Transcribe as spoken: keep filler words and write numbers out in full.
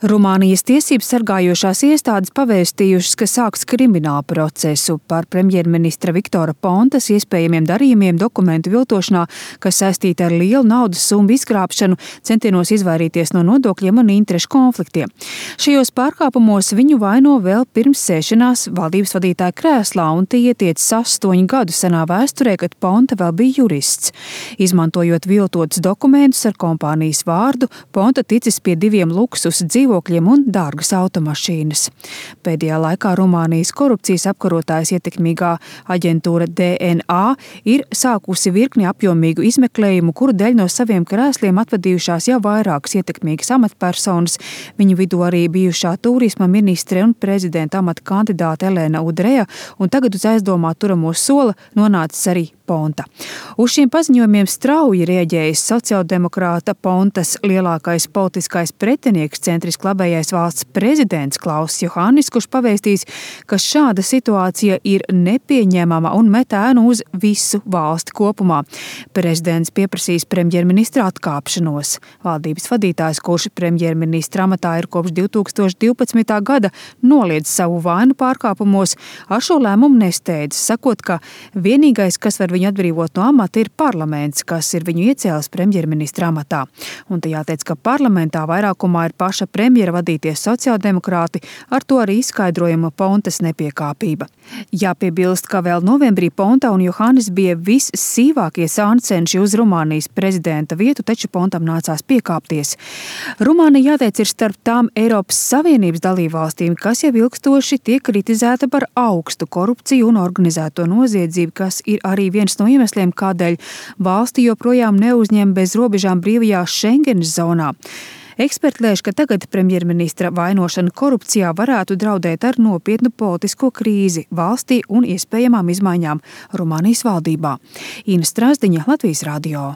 Rumānijas tiesības sargājošās iestādes pavēstījušas, ka sāks kriminālu procesu par premjerministra Viktora Pontas iespējamiem darījumiem dokumentu viltošanā, kas saistīta ar lielu naudas summu izkrāpšanu, centienos izvairīties no nodokļiem un interešu konfliktiem. Šajos pārkāpumos viņu vaino vēl pirms sēšanās valdības vadītāja krēslā, un tie ietiecas astoņu gadu senā vēsturē, kad Ponta vēl bija jurists. Izmantojot viltotus dokumentus ar kompānijas vārdu, Ponta ticis pie diviem luksusa dzīvokļiem un dārgas automašīnas. Pēdējā laikā Rumānijas korupcijas apkarotājas ietekmīgā aģentūra D N A ir sākusi virkni apjomīgu izmeklējumu, kuru dēļ no saviem krēsliem atvadījušās jau vairākas ietekmīgas amatpersonas, viņu vidū arī bijušā turisma ministre un prezidenta amata kandidāte Elena Udrea, un tagad uz aizdomā turamo sola nonācis arī Ponta. Uz šiem paziņojumiem strauji rēģējis sociāldemokrāta Pontas lielākais politiskais pretinieks, centriski labējais valsts prezidents Klauss Johannis, kurš pavēstīs, ka šāda situācija ir nepieņemama un met ēnu uz visu valsti kopumā. Prezidents pieprasīs premjerministra atkāpšanos. Valdības vadītājs, kurš premjerministra amatā ir kopš divi tūkstoši divpadsmitā gada, noliedz savu vainu pārkāpumos, ar šo lēmumu nesteidz, sakot, ka vienīgais, kas var viņu atbrīvot no amata, ir parlaments, kas ir viņu iecēlis premjerministra amatā. Un te jāteic, ka parlamentā vairākumā ir paša premjera vadītie sociāldemokrāti, ar to arī izskaidrojama Pontas nepiekāpība. Jāpiebilst, ka vēl novembrī Ponta un Johannis bija vissīvākie sāncenši uz Rumānijas prezidenta vietu, taču Pontam nācās piekāpties. Rumānija, jāteic, ir starp tām Eiropas Savienības dalībvalstīm, kas jau ilgstoši tiek kritizēta par augstu korupciju un organizēto noziedzību, kas ir arī viens no iemesliem, kādēļ valsti joprojām neuzņem bez robežām brīvajā Schengenas zonā. Eksperti lēš, ka tagad premjerministra vainošana korupcijā varētu draudēt ar nopietnu politisko krīzi valstī un iespējamām izmaiņām Rumānijas valdībā. Ina Strasdiņa, Latvijas radio.